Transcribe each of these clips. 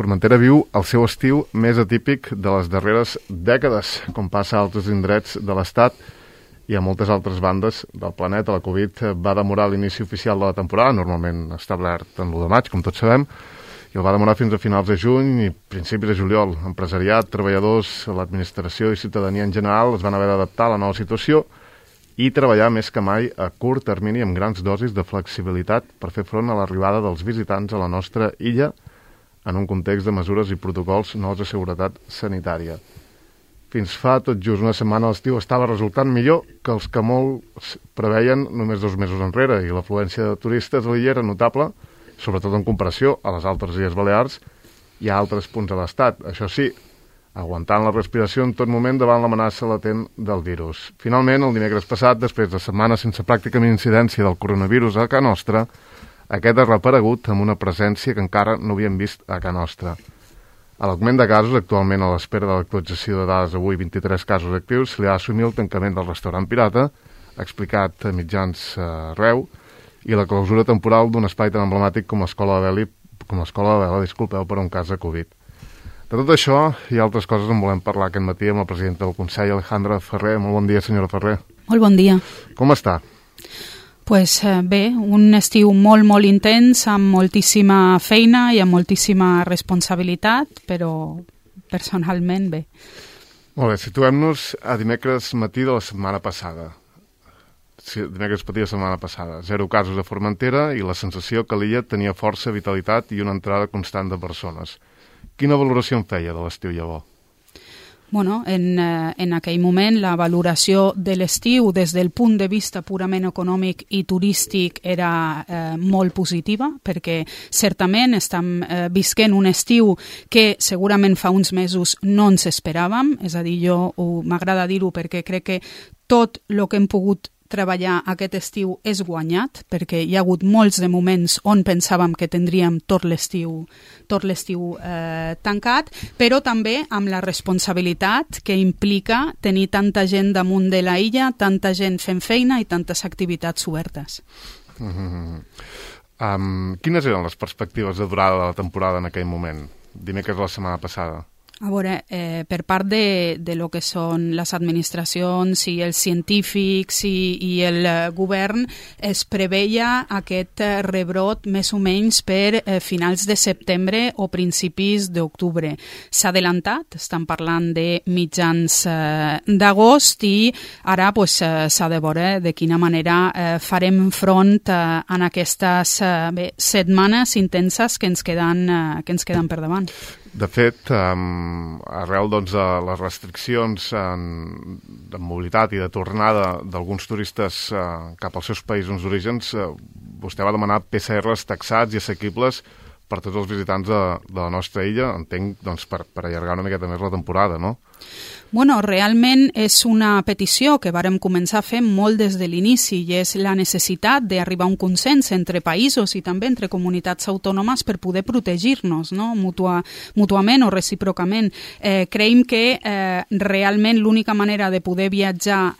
Formentera viu el seu estiu més atípic de les darreres dècades, com passa a altres indrets de l'Estat i a moltes altres bandes del planeta. La Covid va demorar l'inici oficial de la temporada, normalment establert en l'1 de maig, com tots sabem, i el va demorar fins a finals de juny i principis de juliol. Empresariat, treballadors, l'administració i ciutadania en general es van haver d'adaptar a la nova situació i treballar més que mai a curt termini amb grans dosis de flexibilitat per fer front a l'arribada dels visitants a la nostra illa en un context de mesures i protocols nous de seguretat sanitària. Fins fa tot just una setmana l'estiu estava resultant millor que els que molts preveien només 2 mesos enrere i l'afluència de turistes a l'illa era notable, sobretot en comparació a les altres Illes Balears i a altres punts de l'Estat. Això sí, aguantant la respiració en tot moment davant l'amenaça latent del virus. Finalment, el dimecres passat, després de setmanes sense pràcticament incidència del coronavirus a Ca Nostra, aquest ha reaparegut amb una presència que encara no havíem vist a Ca Nostra. A l'augment de casos, actualment a l'espera de l'actualització de dades avui 23 casos actius, se li ha d'assumir el tancament del restaurant Pirata, explicat a mitjans arreu, i la clausura temporal d'un espai tan emblemàtic com l'Escola de Vela, per un cas de Covid. De tot això i altres coses en volem parlar aquest matí amb la presidenta del Consell, Alejandra Ferrer. Molt bon dia, senyora Ferrer. Molt bon dia. Com està? Pues bé, un estiu molt intens, amb moltíssima feina i amb moltíssima responsabilitat, però personalment bé. Molt bé, situem-nos a dimecres matí de la setmana passada. Dimecres matí de la setmana passada. 0 casos a Formentera i la sensació que l'illa tenia força vitalitat i una entrada constant de persones. Quina valoració en feia de l'estiu llavors? Bueno, en aquell moment la valoració de l'estiu des del punt de vista purament econòmic i turístic era molt positiva, perquè certament estem visquent un estiu que segurament fa uns mesos no ens esperàvem, és a dir, m'agrada dir-ho perquè crec que tot el que hem pogut treballar aquest estiu és guanyat, perquè hi ha hagut molts de moments on pensàvem que tindríem tot l'estiu tancat, però també amb la responsabilitat que implica tenir tanta gent damunt de la illa, tanta gent fent feina i tantes activitats obertes. Quines eren les perspectives de durada de la temporada en aquell moment? Dimecres de la setmana passada. A veure, per part de lo que són les administracions i els científics i el govern, es preveia aquest rebrot més o menys per finals de setembre o principis d'octubre. S'ha adelantat, estan parlant de mitjans d'agost i ara s'ha de veure de quina manera farem front en aquestes setmanes intenses que ens queden per davant. De fet, arrel de les restriccions de mobilitat i de tornada d'alguns turistes cap als seus països d'orígens, vostè va demanar PCRs taxats i assequibles per tots els visitants de la nostra illa, entenc, per allargar una miqueta més la temporada, no? Bueno, realment és una petició que vàrem començar a fer molt des de l'inici i és la necessitat d'arribar a un consens entre països i també entre comunitats autònomes per poder protegir-nos, no? Mútuament o recíprocament. Creiem que realment l'única manera de poder viatjar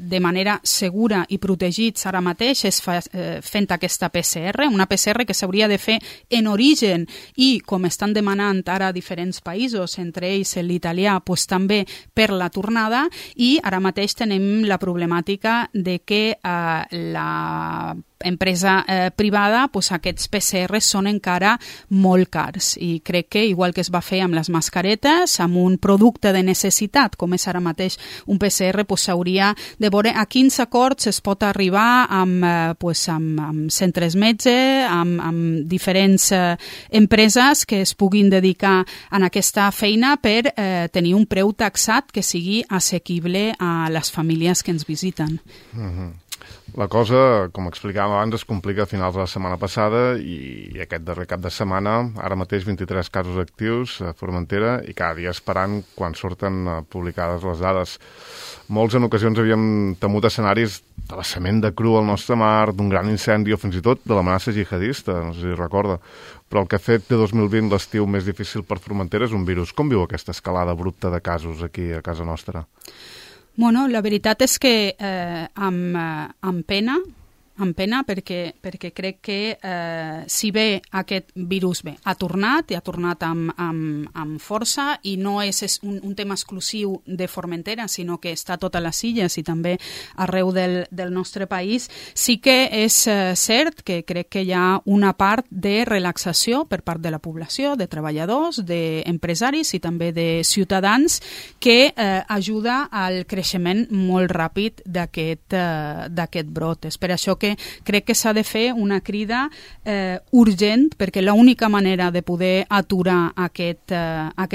de manera segura i protegits ara mateix és fent aquesta PCR, una PCR que s'hauria de fer en origen i, com estan demanant ara diferents països, entre ells l'italià, també per la tornada, i ara mateix tenim la problemàtica de que la empresa privada, aquests PCR són encara molt cars i crec que, igual que es va fer amb les mascaretes, amb un producte de necessitat, com és ara mateix un PCR, s'hauria de veure a quins acords es pot arribar amb centres metge, amb diferents empreses que es puguin dedicar a aquesta feina per tenir un preu taxat que sigui assequible a les famílies que ens visiten. La cosa, com explicàvem abans, es complica a finals de la setmana passada i aquest darrer cap de setmana, ara mateix 23 casos actius a Formentera i cada dia esperant quan surten publicades les dades. Molts en ocasions havíem temut escenaris de vessament de cru al nostre mar, d'un gran incendi o fins i tot de l'amenaça jihadista, no sé si recorda. Però el que ha fet de 2020 l'estiu més difícil per Formentera és un virus. Com viu aquesta escalada abrupta de casos aquí a casa nostra? Bueno, la veritat és que amb pena, amb pena perquè crec que si bé aquest virus ha tornat i ha tornat amb força i no és un tema exclusiu de Formentera, sinó que està a totes les illes i també arreu del nostre país, sí que és cert que crec que hi ha una part de relaxació per part de la població, de treballadors, d'empresaris i també de ciutadans que ajuda al creixement molt ràpid d'aquest brot. És per això que crec que s'ha de fer una crida urgent, perquè l'única manera de poder aturar aquest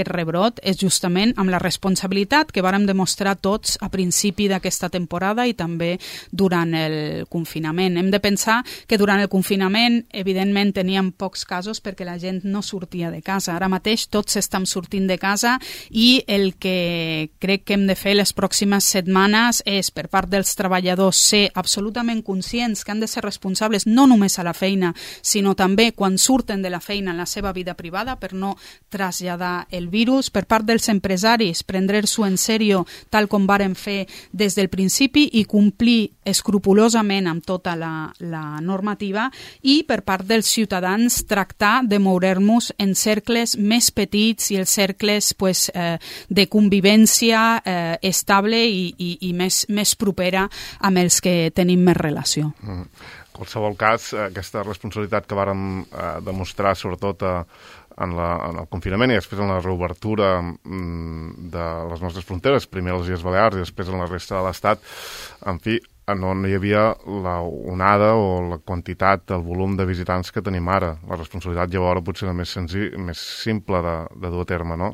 rebrot és justament amb la responsabilitat que vàrem demostrar tots a principi d'aquesta temporada i també durant el confinament. Hem de pensar que durant el confinament, evidentment, teníem pocs casos perquè la gent no sortia de casa. Ara mateix tots estem sortint de casa i el que crec que hem de fer les pròximes setmanes és, per part dels treballadors, ser absolutament conscients que han de ser responsables no només a la feina, sinó també quan surten de la feina en la seva vida privada per no traslladar el virus. Per part dels empresaris, prendre-s'ho en sèrio tal com vàrem fer des del principi i complir escrupolosament amb tota la normativa, i per part dels ciutadans tractar de moure'ns en cercles més petits i els cercles de convivència estable i més propera amb els que tenim més relació. En qualsevol cas, aquesta responsabilitat que vàrem demostrar sobretot en el confinament i després en la reobertura de les nostres fronteres, primer a les Illes Balears i després en la resta de l'Estat, en fi, no hi havia la onada o la quantitat, el volum de visitants que tenim ara. La responsabilitat llavors potser era més simple de dur a terme, no?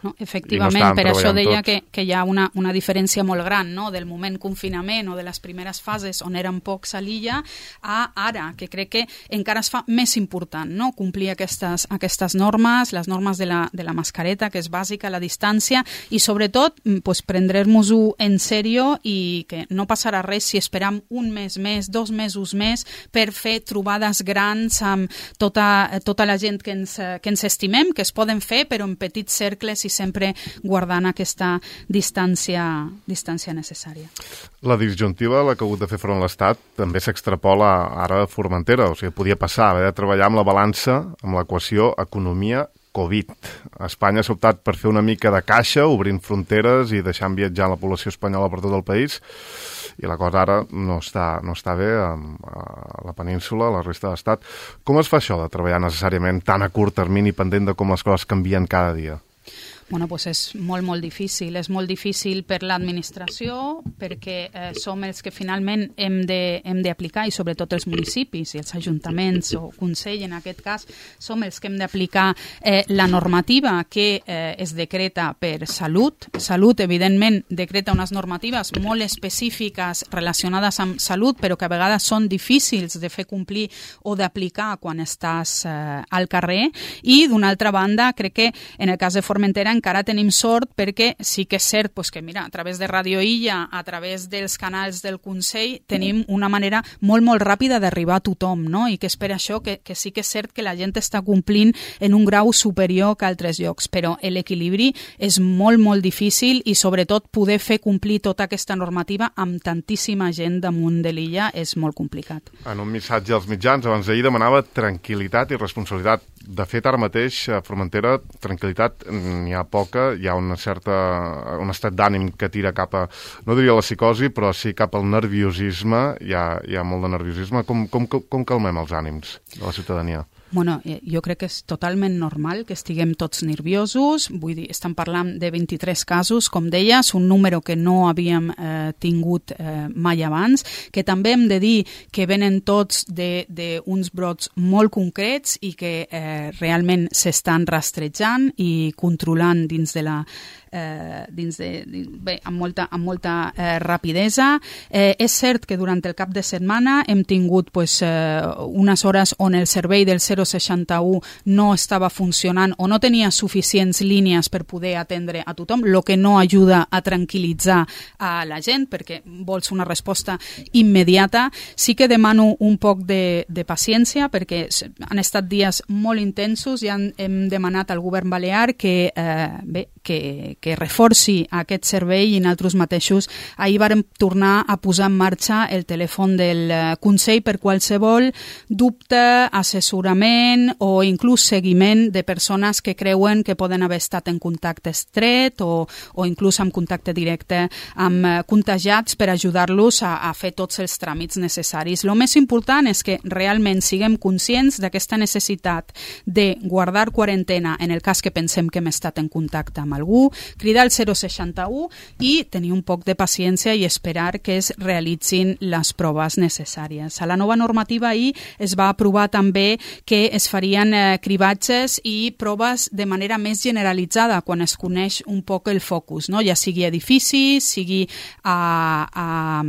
No, efectivament, per això deia que hi ha una diferència molt gran, no?, del moment confinament o de les primeres fases on eren pocs a l'illa a ara, que crec que encara es fa més important, no?, complir aquestes normes, les normes de la mascareta, que és bàsica, la distància, i sobretot prendre-nos-ho en sèrio i que no passarà res si esperam un mes més, 2 mesos més per fer trobades grans amb tota la gent que ens estimem, que es poden fer però en petits cercles i sempre guardant aquesta distància necessària. La disjuntiva a la que ha hagut de fer front l'Estat també s'extrapola ara a Formentera, o sigui, podia passar, haver de treballar amb la balança, amb l'equació economia Covid. Espanya s'ha optat per fer una mica de caixa, obrint fronteres i deixant viatjar la població espanyola per tot el país, i la cosa ara no està bé a la península, a la resta de l'Estat. Com es fa això de treballar necessàriament tan a curt termini pendent de com les coses canvien cada dia? Bueno, pues és molt, molt difícil. És molt difícil per l'administració perquè som els que finalment hem d'aplicar, i sobretot els municipis i els ajuntaments o Consell, en aquest cas, som els que hem d'aplicar la normativa que es decreta per Salut. Salut, evidentment, decreta unes normatives molt específiques relacionades amb salut, però que a vegades són difícils de fer complir o d'aplicar quan estàs al carrer. I, d'una altra banda, crec que en el cas de Formentera encara tenim sort perquè sí que és cert que, mira, a través de Radio Illa, a través dels canals del Consell, tenim una manera molt, molt ràpida d'arribar a tothom, no? I que és per això que sí que és cert que la gent està complint en un grau superior que altres llocs, però l'equilibri és molt, molt difícil i sobretot poder fer complir tota aquesta normativa amb tantíssima gent damunt de l'illa és molt complicat. En un missatge als mitjans, abans d'ahir demanava tranquil·litat i responsabilitat. De fet, ara mateix, a Formentera, tranquil·litat n'hi ha poca, hi ha un estat d'ànim que tira cap a, no diria la psicosi, però sí cap al nerviosisme, hi ha molt de nerviosisme. Com calmem els ànims de la ciutadania? Bueno, jo crec que és totalment normal que estiguem tots nerviosos, vull dir, estem parlant de 23 casos, com deies, un número que no havíem tingut mai abans, que també hem de dir que venen tots d'uns brots molt concrets i que realment s'estan rastrejant i controlant dins de la amb molta rapidesa. És cert que durant el cap de setmana hem tingut unes hores on el servei del 061 no estava funcionant o no tenia suficients línies per poder atendre a tothom, el que no ajuda a tranquil·litzar a la gent perquè vols una resposta immediata. Sí que demano un poc de paciència perquè han estat dies molt intensos i hem demanat al govern balear que que reforci aquest servei, i nosaltres mateixos ahir vàrem tornar a posar en marxa el telèfon del Consell per qualsevol dubte, assessorament o inclús seguiment de persones que creuen que poden haver estat en contacte estret o inclús en contacte directe amb contagiats, per ajudar-los a fer tots els tràmits necessaris. El més important és que realment siguem conscients d'aquesta necessitat de guardar quarantena en el cas que pensem que hem estat en contacte amb algú, cridar al 061 i tenir un poc de paciència i esperar que es realitzin les proves necessàries. A la nova normativa ahir es va aprovar també que es farien cribatges i proves de manera més generalitzada quan es coneix un poc el focus, no? Ja sigui edificis, sigui a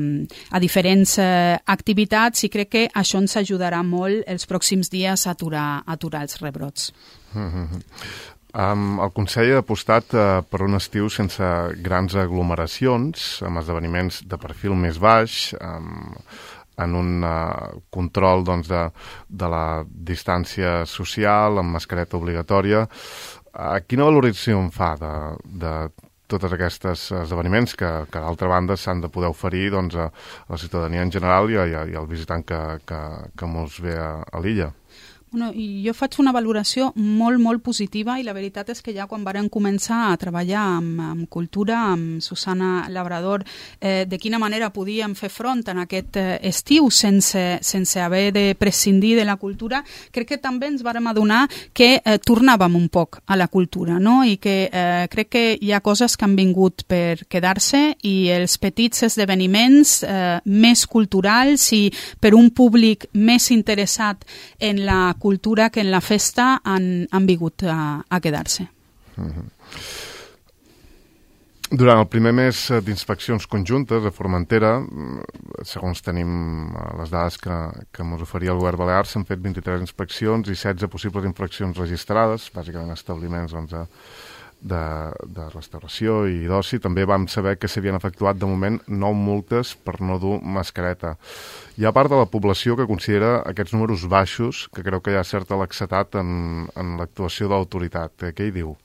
diferents activitats, i crec que això ens ajudarà molt els pròxims dies a aturar els rebrots. El Consell ha apostat per un estiu sense grans aglomeracions, amb esdeveniments de perfil més baix, en un control de la distància social, amb mascareta obligatòria. Quina valoració en fa de tots aquests esdeveniments que d'altra banda s'han de poder oferir a la ciutadania en general i al visitant que mos ve a l'illa? Jo faig una valoració molt, molt positiva, i la veritat és que ja quan vàrem començar a treballar amb cultura, amb Susana Labrador, de quina manera podíem fer front en aquest estiu sense haver de prescindir de la cultura, crec que també ens vàrem adonar que tornàvem un poc a la cultura, no? I que crec que hi ha coses que han vingut per quedar-se, i els petits esdeveniments més culturals i per un públic més interessat en la cultura que en la festa han vingut a quedar-se. Durant el primer mes d'inspeccions conjuntes a Formentera, segons tenim les dades que ens oferia el govern balear, s'han fet 23 inspeccions i 16 possibles infraccions registrades, bàsicament establiments de restauració i d'oci. També vam saber que s'havien efectuat de moment 9 multes per no dur mascareta. Hi ha part de la població que considera aquests números baixos, que creu que hi ha certa laxetat en l'actuació de l'autoritat. Què hi diu?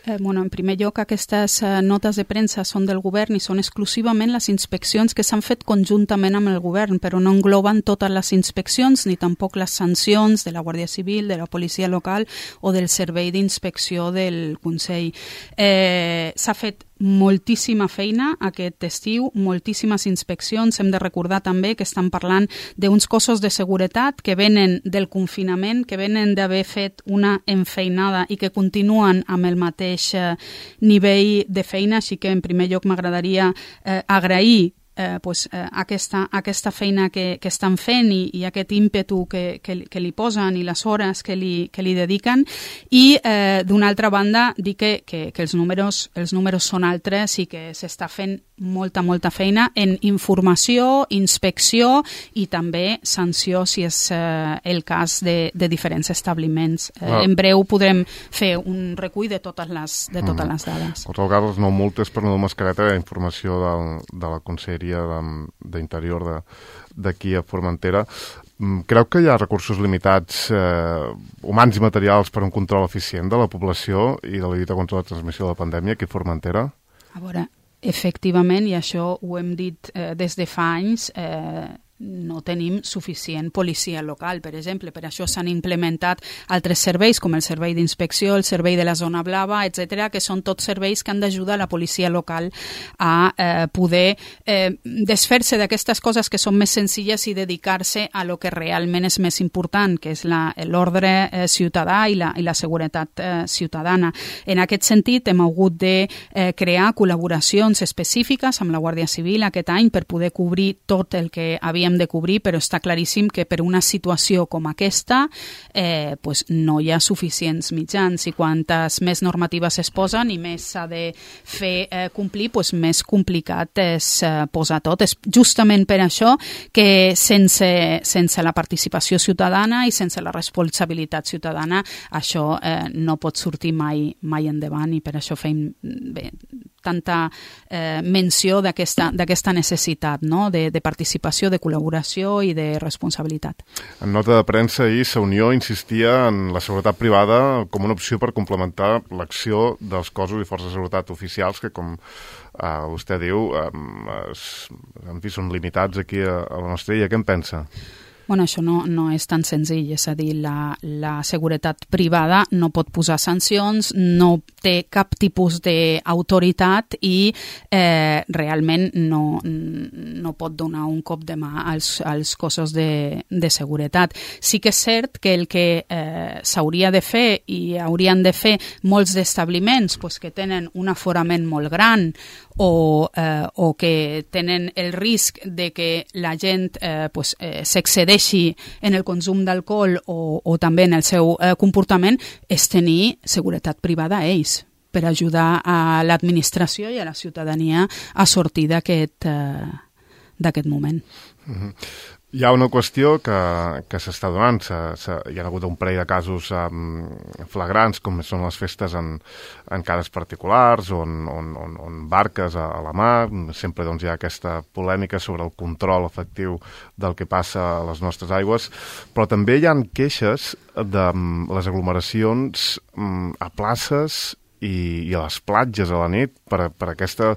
En primer lloc, aquestes notes de premsa són del govern i són exclusivament les inspeccions que s'han fet conjuntament amb el govern, però no engloben totes les inspeccions ni tampoc les sancions de la Guàrdia Civil, de la policia local o del servei d'inspecció del Consell. S'ha fet moltíssima feina aquest estiu, moltíssimes inspeccions. Hem de recordar també que estan parlant d'uns cossos de seguretat que venen del confinament, que venen d'haver fet una enfeinada i que continuen amb el mateix nivell de feina, així que en primer lloc m'agradaria agrair aquesta feina que estan fent i aquest ímpetu que li posen i les hores que li dediquen, i d'una altra banda dir que els números són altres i que s'està fent molta feina en informació, inspecció i també sanció si és el cas de diferents establiments. En breu podrem fer un recull de totes les dades. En qualsevol cas, les 9 multes per no dur mascareta, informació de la Conselleria d'Interior d'aquí a Formentera. Creu que hi ha recursos limitats humans i materials per un control eficient de la població i de la lluita contra la transmissió de la pandèmia aquí a Formentera? A veure, efectivament, i això ho hem dit des de fa anys, no tenim suficient policia local, per exemple. Per això s'han implementat altres serveis, com el servei d'inspecció, el servei de la zona blava, etc., que són tots serveis que han d'ajudar la policia local a poder desfer-se d'aquestes coses que són més senzilles i dedicar-se a lo que realment és més important, que és l'ordre ciutadà i la seguretat ciutadana. En aquest sentit, hem hagut de crear col·laboracions específiques amb la Guàrdia Civil aquest any per poder cobrir tot el que havíem de cobrir, però està claríssim que per una situació com aquesta no hi ha suficients mitjans, i quantes més normatives es posen i més s'ha de fer complir, més complicat és posar tot. És justament per això que sense la participació ciutadana i sense la responsabilitat ciutadana això no pot sortir mai endavant, i per això fem tanta menció d'aquesta necessitat, no? de participació, de col·laboració i de responsabilitat. En nota de premsa ahir, la Unió insistia en la seguretat privada com una opció per complementar l'acció dels cossos i forces de seguretat oficials que, com vostè diu, en fi, són limitats aquí a la nostra illa. Què en pensa? Bueno, això no és tan senzill, és a dir, la seguretat privada no pot posar sancions, no té cap tipus d'autoritat i realment no pot donar un cop de mà als cossos de seguretat. Sí que és cert que el que s'hauria de fer i haurien de fer molts d'establiments que tenen un aforament molt gran o que tenen el risc de que la gent s'excedeixi en el consum d'alcohol o també en el seu comportament, és tenir seguretat privada a ells per ajudar a l'administració i a la ciutadania a sortir d'aquest moment. Hi ha una qüestió que s'està donant. Hi ha hagut un parell de casos flagrants, com són les festes en cases particulars o en barques a la mar. Sempre hi ha aquesta polèmica sobre el control efectiu del que passa a les nostres aigües, però també hi ha queixes de les aglomeracions a places i a les platges a la nit per aquesta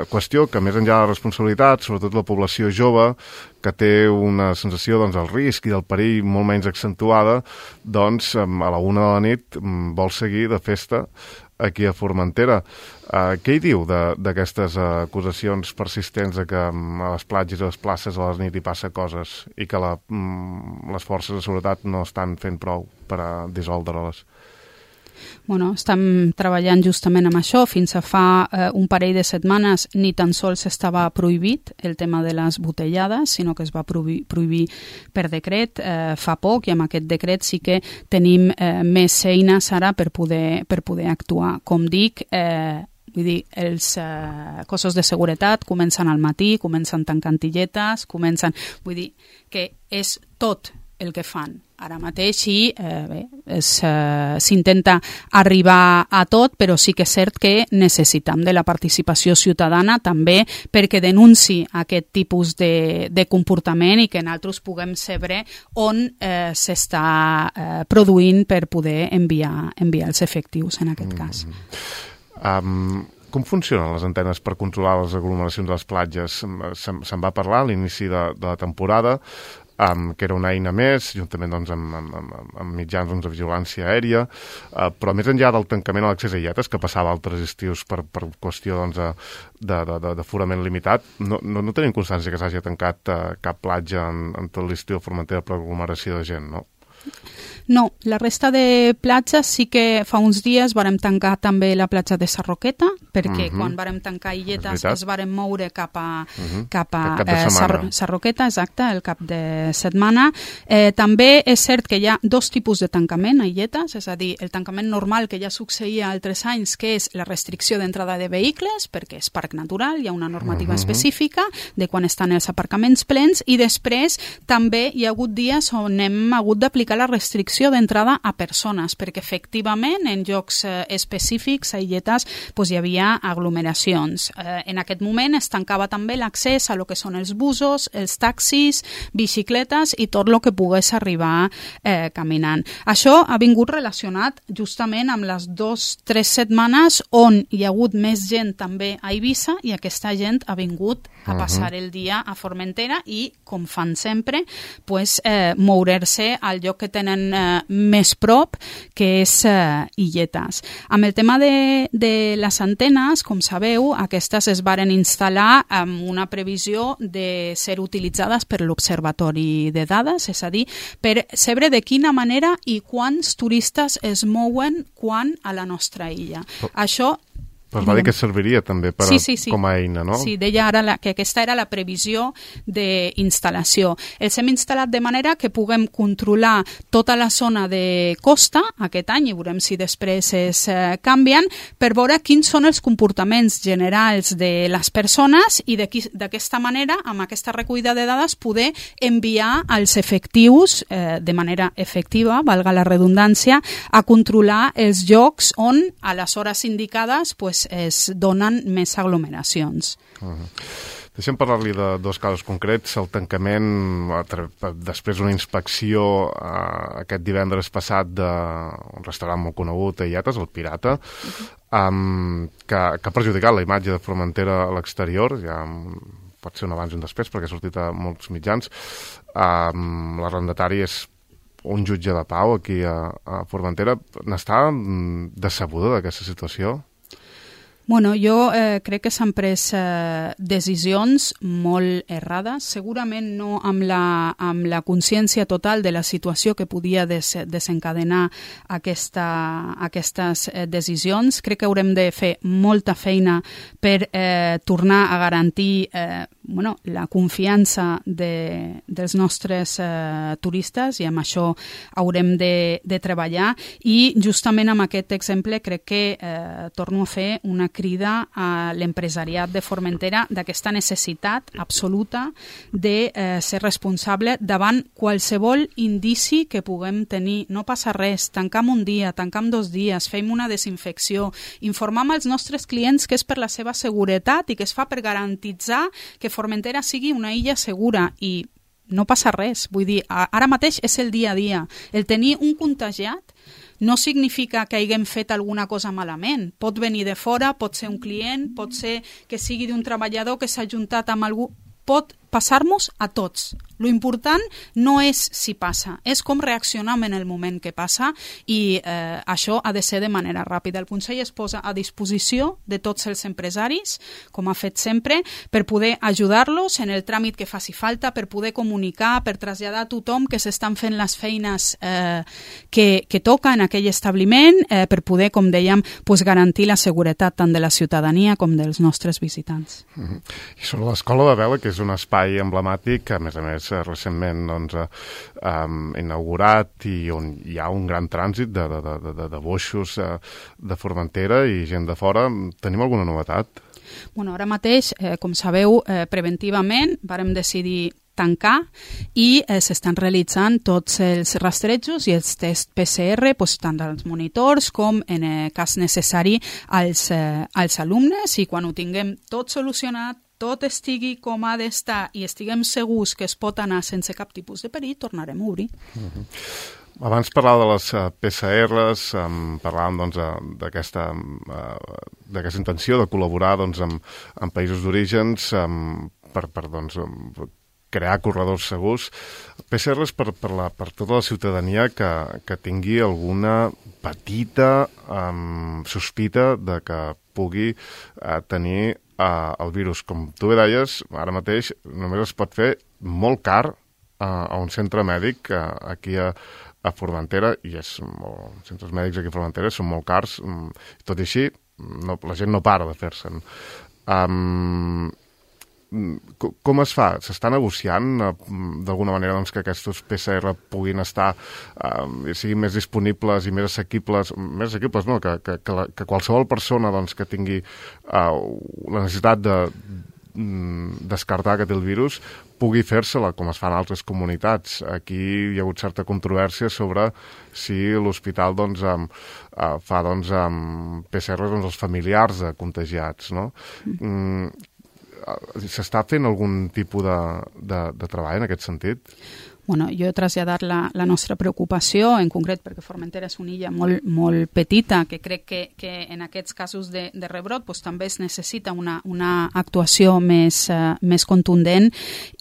qüestió que, més enllà de la responsabilitat, sobretot la població jove, que té una sensació del risc i del perill molt menys accentuada, doncs a la 1 de la nit vol seguir de festa aquí a Formentera. Què hi diu d'aquestes acusacions persistents de que a les platges i a les places a la nit hi passa coses i que les forces de seguretat no estan fent prou per a dissoldre-les? Bueno, estem treballant justament amb això. Fins a fa un parell de setmanes ni tan sols estava prohibit el tema de les botellades, sinó que es va prohibir per decret fa poc, i amb aquest decret sí que tenim més eines ara per poder actuar. Com dic, vull dir, els cossos de seguretat comencen al matí, comencen tancant illetes, vull dir que és tot el que fan ara mateix i s'intenta arribar a tot, però sí que és cert que necessitem de la participació ciutadana també perquè denunciï aquest tipus de comportament i que nosaltres puguem saber on s'està produint per poder enviar els efectius en aquest cas. Com funcionen les antenes per controlar les aglomeracions de les platges? Se'n va parlar a l'inici de la temporada, que era una eina més, juntament amb mitjans de vigilància aèria, però més enllà del tancament a l'accés a illetes, que passava altres estius per qüestió d'aforament limitat, no tenim constància que s'hagi tancat cap platja en tot l'estiu a Formentera per aglomeració de gent, no? No, la resta de platges sí que fa uns dies vàrem tancar també la platja de Sarroqueta, perquè quan vàrem tancar illetes es vàrem moure cap a Sarroqueta, exacte, el cap de setmana. També és cert que hi ha dos tipus de tancament a illetes, és a dir, el tancament normal que ja succeïa altres anys, que és la restricció d'entrada de vehicles, perquè és parc natural, hi ha una normativa específica de quan estan els aparcaments plens, i després també hi ha hagut dies on hem hagut d'aplicar la restricció d'entrada a persones, perquè efectivament en llocs específics a illetes hi havia aglomeracions. En aquest moment es tancava també l'accés a lo que són els busos, els taxis, bicicletes i tot el que pogués arribar caminant. Això ha vingut relacionat justament amb les 2-3 setmanes on hi ha hagut més gent també a Eivissa i aquesta gent ha vingut a passar el dia a Formentera i, com fan sempre, moure's al lloc que tenen més prop, que és illetes. Amb el tema de les antenes, com sabeu, aquestes es varen instal·lar amb una previsió de ser utilitzades per l'Observatori de Dades, és a dir, per saber de quina manera i quants turistes es mouen quan a la nostra illa. Això Però va dir que serviria també com a eina, no? Sí, deia ara que aquesta era la previsió d'instal·lació. Els hem instal·lat de manera que puguem controlar tota la zona de costa aquest any, i veurem si després es canvien, per veure quins són els comportaments generals de les persones i d'aquesta manera, amb aquesta recollida de dades, poder enviar els efectius de manera efectiva, valga la redundància, a controlar els llocs on a les hores indicades es donen més aglomeracions. Deixem parlar-li de dos casos concrets. El tancament, després d'una inspecció aquest divendres passat d'un restaurant molt conegut a Illetes, el Pirata, que ha perjudicat la imatge de Formentera a l'exterior, ja pot ser un abans i un després perquè ha sortit a molts mitjans. L'arrendatari és un jutge de pau aquí a Formentera. N'està decebuda d'aquesta situació? Bueno, jo crec que s'han pres decisions molt errades, segurament no amb la consciència total de la situació que podia desencadenar aquestes decisions. Crec que haurem de fer molta feina per tornar a garantir la confiança dels nostres turistes, i amb això haurem de treballar, i justament amb aquest exemple crec que torno a fer una crida a l'empresariat de Formentera d'aquesta necessitat absoluta de ser responsable davant qualsevol indici que puguem tenir. No passa res, tancam un dia, tancam 2 dies, fem una desinfecció, informem als nostres clients que és per la seva seguretat i que es fa per garantitzar que Formentera sigui una illa segura, i no passa res. Vull dir, ara mateix és el dia a dia. El tenir un contagiat no significa que haguem fet alguna cosa malament. Pot venir de fora, pot ser un client, pot ser que sigui d'un treballador que s'ha juntat amb algú. Pot passar-nos a tots. Lo important no és si passa, és com reaccionem en el moment que passa, i això ha de ser de manera ràpida. El Consell es posa a disposició de tots els empresaris, com ha fet sempre, per poder ajudar-los en el tràmit que faci falta, per poder comunicar, per traslladar a tothom que s'estan fent les feines que toca en aquell establiment, per poder, com dèiem, garantir la seguretat tant de la ciutadania com dels nostres visitants. I sobre l'Escola de Vela, que és un espai emblemàtic, que a més recentment inaugurat, i on hi ha un gran trànsit de boixos de Formentera i gent de fora, tenim alguna novetat? Bueno, ara mateix, com sabeu, preventivament vàrem decidir tancar, i s'estan realitzant tots els rastrejos i els tests PCR, tant als monitors com, en cas necessari, als alumnes, i quan ho tinguem tot solucionat, tot estigui com ha d'estar i estiguem segurs que es pot anar sense cap tipus de perill, tornarem a obrir. Abans parlàvem de les PCRs, parlàvem d'aquesta intenció de col·laborar amb països d'orígens per crear corredors segurs. PCRs per tota la ciutadania que tingui alguna petita sospita de que pugui tenir el virus. Com tu bé deies, ara mateix només es pot fer molt car a un centre mèdic aquí a Formentera, i els centres mèdics aquí a Formentera són molt cars, tot i així la gent no para de fer-se'n. Com es fa? S'està negociant d'alguna manera que aquests PCR puguin estar, siguin més disponibles i més assequibles no, que qualsevol persona que tingui la necessitat de descartar que té el virus pugui fer-se-la, com es fa en altres comunitats. Aquí hi ha hagut certa controvèrsia sobre si l'hospital fa PCR als familiars de contagiats, no? S'està fent algun tipus de treball en aquest sentit? Bueno, jo he traslladat la nostra preocupació, en concret perquè Formentera és una illa molt, molt petita, que crec que en aquests casos de rebrot també es necessita una actuació més contundent,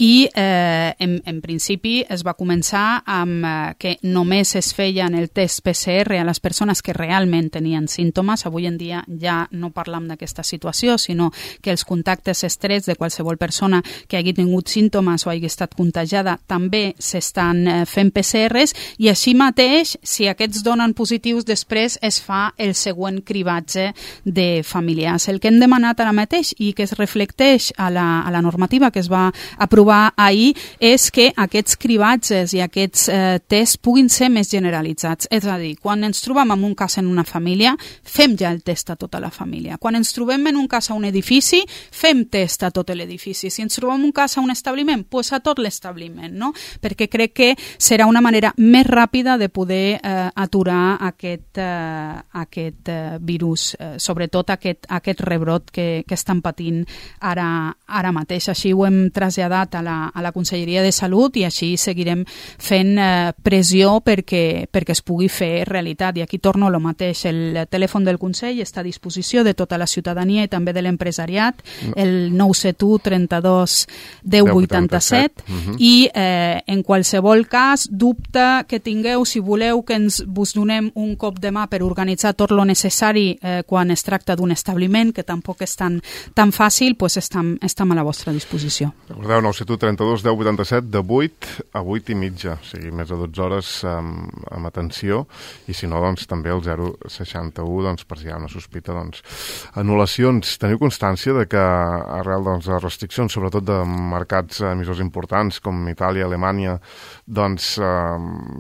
i en principi es va començar amb que només es feien el test PCR a les persones que realment tenien símptomes. Avui en dia ja no parlam d'aquesta situació, sinó que els contactes estrets de qualsevol persona que hagi tingut símptomes o hagi estat contagiada també s'estan fent PCRs, i així mateix, si aquests donen positius, després es fa el següent cribatge de familiars. El que hem demanat ara mateix, i que es reflecteix a la normativa que es va aprovar ahir, és que aquests cribatges i aquests tests puguin ser més generalitzats. És a dir, quan ens trobem en un cas en una família, fem ja el test a tota la família. Quan ens trobem en un cas a un edifici, fem test a tot l'edifici. Si ens trobem un cas a un establiment, doncs a tot l'establiment, no? Perquè perquè crec que serà una manera més ràpida de poder aturar aquest virus, sobretot aquest rebrot que estan patint ara mateix. Així ho hem traslladat a la Conselleria de Salut i així seguirem fent pressió perquè es pugui fer realitat. I aquí torno a lo mateix. El telèfon del Consell està a disposició de tota la ciutadania i també de l'empresariat, el 971 32 10 87, i en qualsevol cas, dubte que tingueu, si voleu que vos donem un cop de mà per organitzar tot lo necessari quan es tracta d'un establiment, que tampoc és tan fàcil, doncs estem a la vostra disposició. Recordeu, 971 32 10 87, de 8 a 8 i mitja, o sigui, més de 12 hores amb atenció, i si no, doncs també el 061, doncs, per si hi ha una sospita, doncs, anul·lacions. Teniu constància de que arrel de les restriccions, sobretot de mercats emissors importants com Itàlia, Alemanya, doncs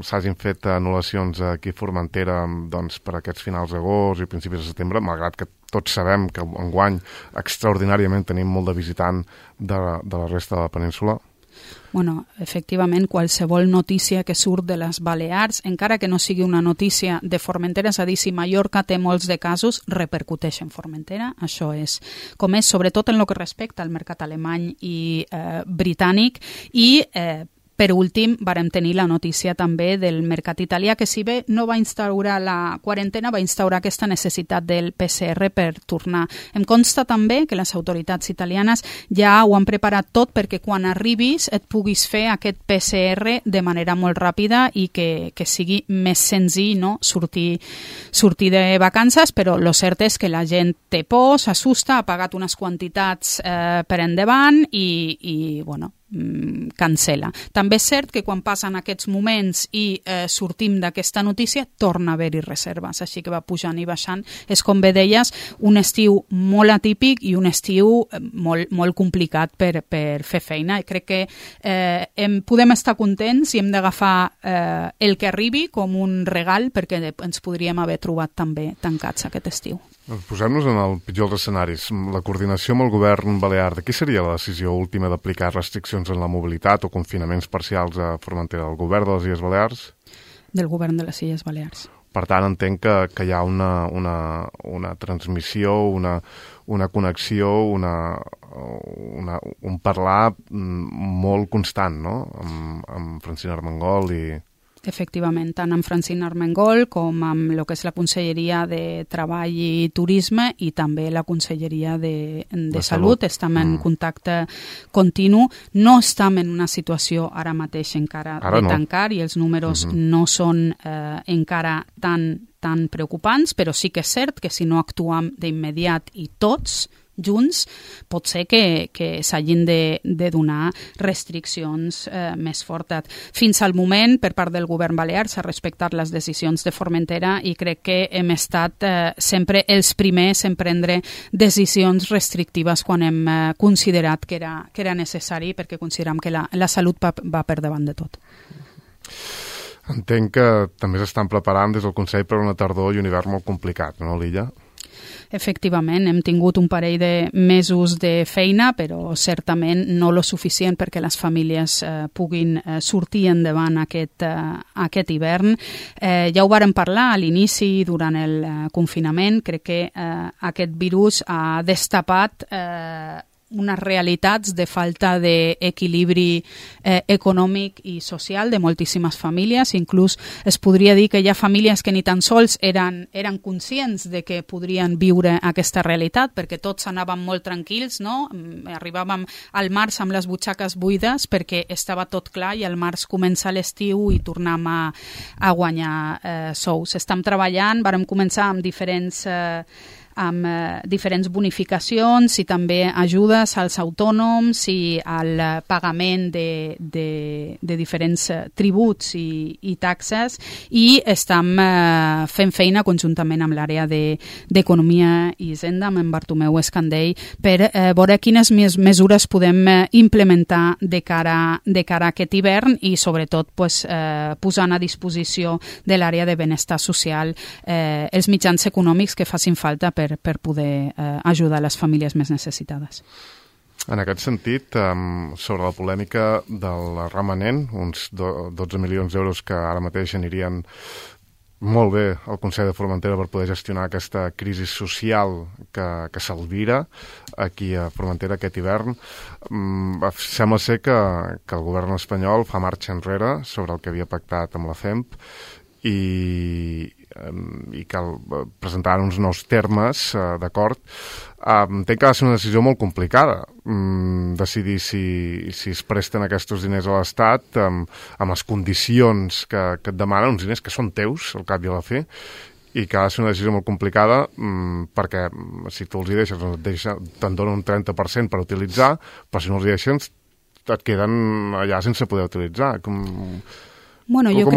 s'hagin fet anul·lacions aquí a Formentera doncs, per aquests finals d'agost i principis de setembre, malgrat que tots sabem que enguany extraordinàriament tenim molt de visitant de la resta de la península? Bueno, efectivament, qualsevol notícia que surt de les Balears, encara que no sigui una notícia de Formentera, és a dir, si Mallorca té molts de casos, repercuteix en Formentera. Això és com és, sobretot en el que respecta al mercat alemany i britànic, i per últim, vàrem tenir la notícia també del mercat italià, que si bé no va instaurar la quarantena, va instaurar aquesta necessitat del PCR per tornar. Em consta també que les autoritats italianes ja ho han preparat tot perquè quan arribis et puguis fer aquest PCR de manera molt ràpida i que sigui més senzill, no? sortir de vacances, però el cert és que la gent té por, s'assusta, ha pagat unes quantitats per endavant i bueno, cancela. També és cert que quan passen aquests moments i sortim d'aquesta notícia, torna a haver-hi reserves, així que va pujant i baixant. És, com bé deies, un estiu molt atípic i un estiu molt complicat per fer feina, i crec que podem estar contents i hem d'agafar el que arribi com un regal, perquè ens podríem haver trobat també tancats aquest estiu. Posem-nos en el pitjor dels escenaris. La coordinació amb el govern balear, de qui seria la decisió última d'aplicar restriccions en la mobilitat o confinaments parcials a Formentera? Del govern de les Illes Balears? Del govern de les Illes Balears. Per tant, entenc que hi ha una transmissió, una connexió, un parlar molt constant, no?, amb Francina Armengol i... Efectivament, tant amb Francina Armengol com amb el que és la Conselleria de Treball i Turisme i també la Conselleria de Salut. Estem en contacte continu. No estem en una situació ara mateix encara de tancar i els números no són encara tan preocupants, però sí que és cert que si no actuem d'immediat i tots junts, pot ser que s'hagin de donar restriccions més fortes. Fins al moment, per part del govern balear, s'ha respectat les decisions de Formentera i crec que hem estat sempre els primers en prendre decisions restrictives quan hem considerat que era necessari, perquè considerem que la salut va per davant de tot. Entenc que també s'estan preparant des del Consell per una tardor i un hivern molt complicat, no, l'illa? Efectivament, hem tingut un parell de mesos de feina, però certament no lo suficient perquè les famílies puguin sortir endavant aquest hivern. Ja ho vàrem parlar a l'inici, durant el confinament. Crec que aquest virus ha destapat unes realitats de falta d'equilibri econòmic i social de moltíssimes famílies. Inclús es podria dir que hi ha famílies que ni tan sols eren conscients de que podrien viure aquesta realitat, perquè tots anàvem molt tranquils, no? Arribàvem al març amb les butxaques buides perquè estava tot clar i al març comença l'estiu i tornem a guanyar sous. Estem treballant, vàrem començar amb diferents bonificacions i també ajudes als autònoms i al pagament de diferents tributs i taxes, i estem fent feina conjuntament amb l'àrea d'Economia i Hisenda, amb en Bartomeu Escandell, per veure quines mesures podem implementar de cara a aquest hivern i sobretot posant a disposició de l'àrea de benestar social els mitjans econòmics que facin falta per poder ajudar les famílies més necessitades. En aquest sentit, sobre la polèmica del remanent, uns 12 milions d'euros que ara mateix anirien molt bé al Consell de Formentera per poder gestionar aquesta crisi social que s'alvira aquí a Formentera aquest hivern. Sembla ser que el govern espanyol fa marxa enrere sobre el que havia pactat amb la FEMP i cal presentar uns nous termes d'acord. Entenc que ha de ser una decisió molt complicada decidir si es presten aquests diners a l'Estat amb les condicions que et demanen, uns diners que són teus al cap i a la fi, i que ha de ser una decisió molt complicada perquè si tu els hi deixes te'n donen un 30% per utilitzar, però si no els hi deixes et queden allà sense poder utilitzar. Bueno, jo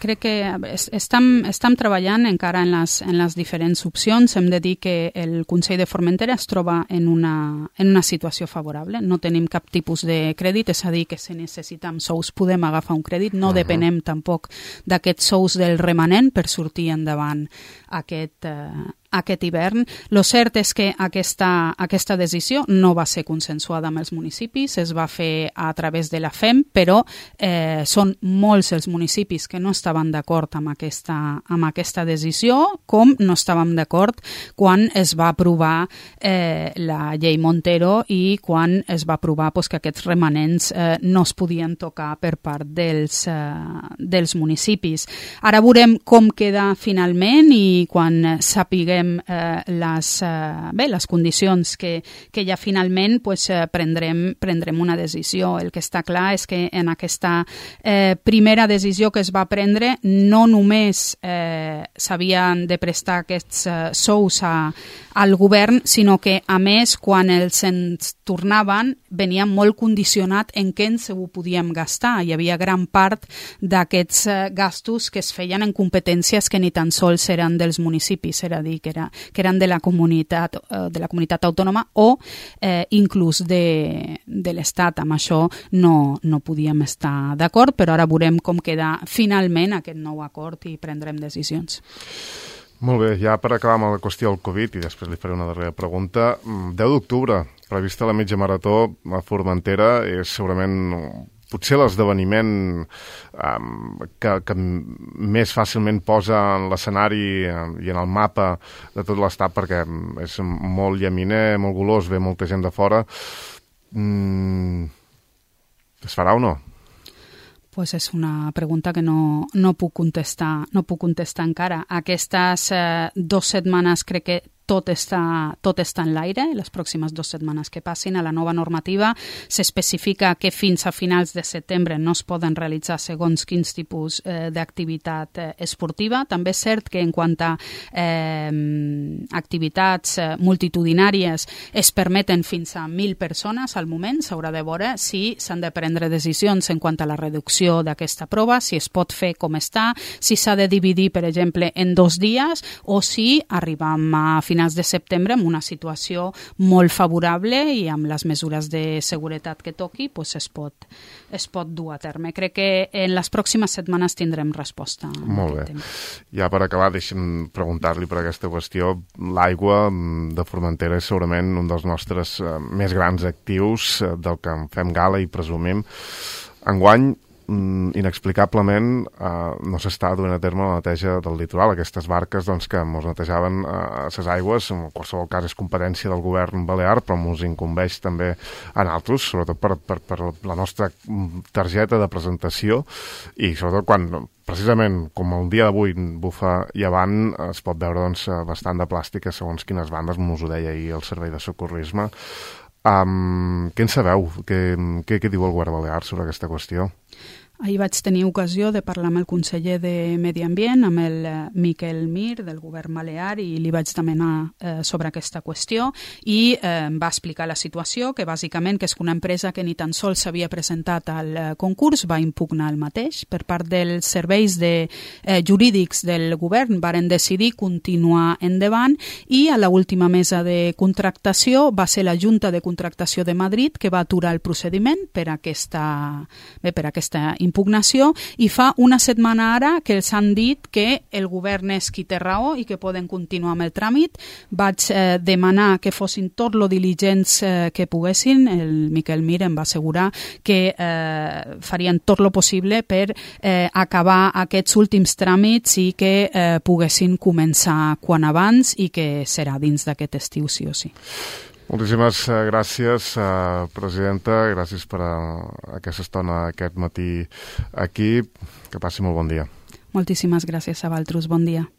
crec que estem treballant encara en les diferents opcions. Hem de dir que el Consell de Formentera es troba en una situació favorable. No tenim cap tipus de crèdit, és a dir, que si necessitem sous podem agafar un crèdit. No depenem tampoc d'aquests sous del remanent per sortir endavant aquest hivern. Lo cert és que aquesta decisió no va ser consensuada amb els municipis, es va fer a través de la FEM, però són molts els municipis que no estaven d'acord amb aquesta decisió, com no estàvem d'acord quan es va aprovar la llei Montero i quan es va aprovar que aquests remanents no es podien tocar per part dels municipis. Ara veurem com queda finalment i quan sapiguem les condicions que ja finalment prendrem una decisió. El que està clar és que en aquesta primera decisió que es va prendre no només s'havien de prestar aquests sous al govern, sinó que a més quan els ens tornaven venia molt condicionat en què ens ho podíem gastar. Hi havia gran part d'aquests gastos que es feien en competències que ni tan sols eren dels municipis, era a dir, que eren de la comunitat autònoma o inclús de l'Estat. Amb això no podíem estar d'acord, però ara veurem com queda finalment aquest nou acord i prendrem decisions. Molt bé, ja per acabar amb la qüestió del Covid, i després li faré una darrera pregunta. 10 d'octubre, prevista la mitja marató a Formentera, és segurament potser l'esdeveniment que més fàcilment posa en l'escenari i en el mapa de tot l'estat, perquè és molt llaminer, molt golós, ve molta gent de fora. Es farà o no? Pues és una pregunta que no puc contestar encara. Aquestes 2 setmanes crec que tot està en l'aire. Les pròximes 2 setmanes que passin a la nova normativa s'especifica que fins a finals de setembre no es poden realitzar segons quins tipus d'activitat esportiva. També és cert que en quant a activitats multitudinàries es permeten fins a 1.000 persones al moment. S'haurà de veure si s'han de prendre decisions en quant a la reducció d'aquesta prova, si es pot fer com està, si s'ha de dividir, per exemple, en 2 dies o si arribam a finals de setembre amb una situació molt favorable i amb les mesures de seguretat que toqui es pot dur a terme. Crec que en les pròximes setmanes tindrem resposta. Molt bé. Ja per acabar, deixa'm preguntar-li per aquesta qüestió. L'aigua de Formentera és segurament un dels nostres més grans actius del que en fem gala i presumim. Enguany, inexplicablement no s'està duent a terme la neteja del litoral. Aquestes barques que ens netejaven les aigües, en qualsevol cas és competència del govern balear, però ens incumbeix també a nosaltres, sobretot per la nostra targeta de presentació, i sobretot quan precisament com el dia d'avui bufa llevant es pot veure bastant de plàstica segons quines bandes, us ho deia ahir el servei de socorrisme. Què en sabeu? Què diu el govern balear sobre aquesta qüestió? Ahir vaig tenir ocasió de parlar amb el conseller de Medi Ambient, amb el Miquel Mir, del govern balear, i li vaig demanar sobre aquesta qüestió i em va explicar la situació, que bàsicament que és una empresa que ni tan sols s'havia presentat al concurs, va impugnar el mateix. Per part dels serveis jurídics del govern varen decidir continuar endavant i a l'última mesa de contractació va ser la Junta de Contractació de Madrid que va aturar el procediment per aquesta d'impugnació, i fa una setmana ara que els han dit que el govern és qui té raó i que poden continuar amb el tràmit. Vaig demanar que fossin tot lo diligents que poguessin. El Miquel Mir em va assegurar que farien tot lo possible per acabar aquests últims tràmits i que poguessin començar quan abans, i que serà dins d'aquest estiu, sí o sí. Moltíssimes gràcies, presidenta. Gràcies per aquesta estona aquest matí aquí. Que passi molt bon dia. Moltíssimes gràcies a vosaltres. Bon dia.